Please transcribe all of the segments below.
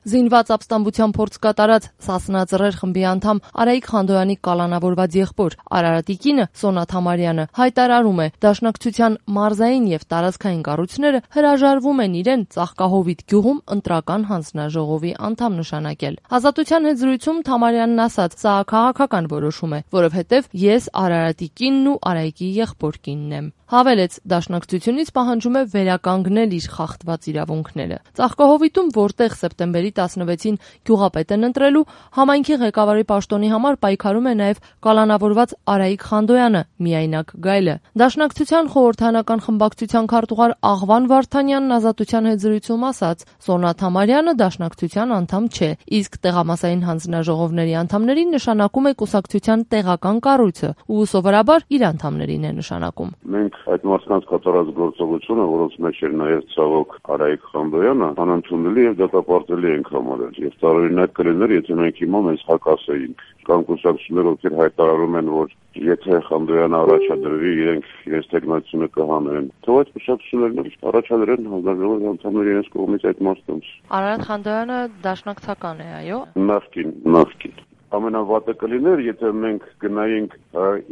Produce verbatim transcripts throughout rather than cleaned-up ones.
Զինված ապստամբության փորձ կատարած Սասնա Ծռեր խմբի անդամ Արայիկ Խանդոյանի կալանավորված եղբոր Արարատի կինը Սոնա Թամարյանը հայտարարում է, դաշնակցության մարզային եւ տարածքային կառույցները հրաժարվում են իրեն Ծաղկահովիտ գյուղում ընտրական հանձնաժողովի անդամ նշանակել։ Ազատության հետ զրույցում Թամարյանն ասաց, սա քաղաքական որոշում է, որովհետեւ ես Արարատի կինն ու Արայիկի եղբոր կինն եմ։ Հավելեց, դաշնակցությունից պահանջում է վերականգնել իր խախտված իրավունքները։ Ծաղկահովիտում, որտեղ սեպտեմբերի տասնվեցին գյուղապետ են ընտրելու, համայնքի ղեկավարի պաշտոնի համար պայքարում է նաև կալանավորված Արայիկ Խանդոյանը, միայնակ գայլը։ Դաշնակցության խորհրդանական խմբակցության քարտուղար Աղվան Վարդանյանն Ազատության հետ զրույցում ասաց, Սոնա Թամարյանը դաշնակցության անդամ չէ, իսկ տեղամասային հանձնաժողովների անդամներին նշանակում է կուսակցության տեղական կառույցը ու սովորաբար իր անդամներին է նշանակում։ Մենք այդ մարդկանց կատարած գործողությունը, որոնց մեջ էր նաև ցավոք Արայիկ Խանդոյանը, անընդունելի եւ դատապարտելի ենք համարել։ Եվ տարօրինակ կլիներ, եթե մենք հիմա մեզ հակասեինք։ Կան կուսակցություններ, ովքեր հայտարարում են, որ եթե Խանդոյանը առաջադրվի, իրենք իրենց տեխնացիոնը կհանեն։ Թող այդ կուսակցություններն առաջադրեն հանձնաժողովի անդամները իրենց կողմից այդ մարդկանց։ Արարատ Խանդոյանը դաշնակցական է, այո։ Նախկին, նախկին։ Ամենավատը կլիներ, եթե մենք գնայինք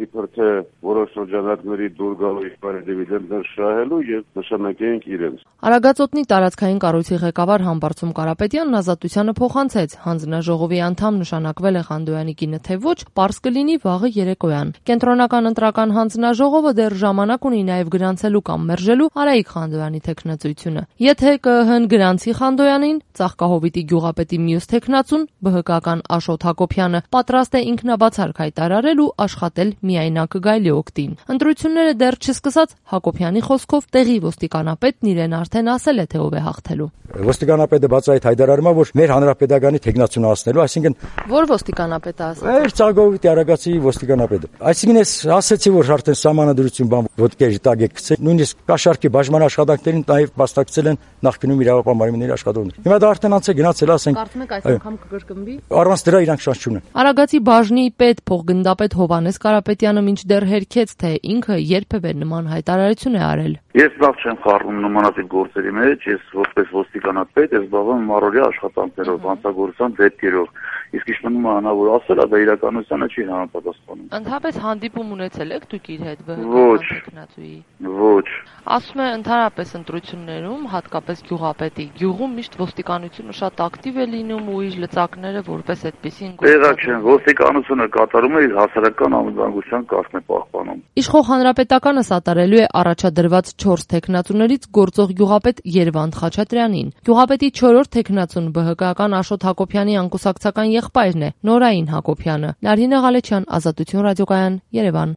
իբր թե որոշ շրջանակների դուր գալու իբր դիվիդենտներ շահելու եւ նշանակեինք իրենց։ Արագածոտնի տարածքային կառույցի ղեկավար Համբարձում Կարապետյանն Ազատությանը փոխանցեց, հանձնաժողովի անդամ նշանակվել է Խանդոյանի կինը թե ոչ, պարզ կլինի վաղը երեկոյան։ Կենտրոնական ընտրական հանձնաժողովը դեռ ժամանակ ունի նաեւ գրանցելու կամ մերժելու Արայիկ Խանդոյանի թեկնածությունը։ Եթե ԿԸՀ-ն գրանցի Խանդոյանին, Ծաղկահովիտի գյուղապետի մյուս թեկնածուն ԲՀԿ-ական Աշոտ Հակոբյանը պատրաստ է ինքնաբացարկ հայտարարել ու աշխատել միայնակ գայլի օգտին։ Ընտրությունները դեռ չսկսած Հակոբյանի խոսքով տեղի ոստիկանապետն իրեն արդեն ասել է, թե ով է հաղթելու։ Ոստիկանապետը բացահայտ հայտարարում է, որ մեր հանրապետականի թեկնածունացնելու, այսինքն Որ ոստիկանապետը ասել։ Մեր Ծաղկահովիտի Արագածի ոստիկանապետը։ Այսինքն ես ասացի, որ արդեն սահմանադրություն բան ոդկերի տակ է գցել, նույնիսկ կաշառքի բաժման աշխատանքներին նաև մասնակցել են նախկինում իրավապահ մարմինների աշխատողներ։ Հիմա դա արդեն անց է գնացել, ասենք։ Կարծում եք այս անգամ կկրկնվի։ Առանց դրա իրանք շանս չունեն։ Արագածի բաժնի պետ փոխգնդապետ Հովհաննես Կարապետյանը մինչդեռ հերքեց, թե ինքը երբևէ նման հայտարարություն է արել։ Ես լավ չեմ խառնում նմանատիպ գործերի մեջ, ես որպես ոստիկանապետ ես զբաղվում առօրյա աշխատանքներով, հանցագործության դեպքերով։ Իսկ ինչ մնում է անավոր ասել, դա իրականությանը չի համապատասխանում։ Ընդհանրապես հանդիպում ունեցել եք դուք իր հետ ԲՀԿ տեխնացուի։ Ոչ։ Ասում է ընդհանրապես ընտրություններում, հատկապես գյուղապետի գյուղում միշտ ոստիկանությունը շատ ակտիվ է լինում ու իր լծակները որպես այդպեսին Տեղակ չեն, ոստիկանությունը կատարում է իր հասարակական անվտանգության կարգն է պահպանում։ Իշխող հանրապետականը սատարելու է առաջադրված չորս թեկնածուներից գործող գյուղապետ Երվանդ Խաչատրյանին։ Գյուղապետի չորրորդ թեկնածուն ԲՀԿ-ական Աշոտ Հակոբյանի անկուսակցական եղբայրն է Նորային Հակոբյանը։ Նարինե Ղալեչյան, Ազատություն ռադիոկայան, Երևան։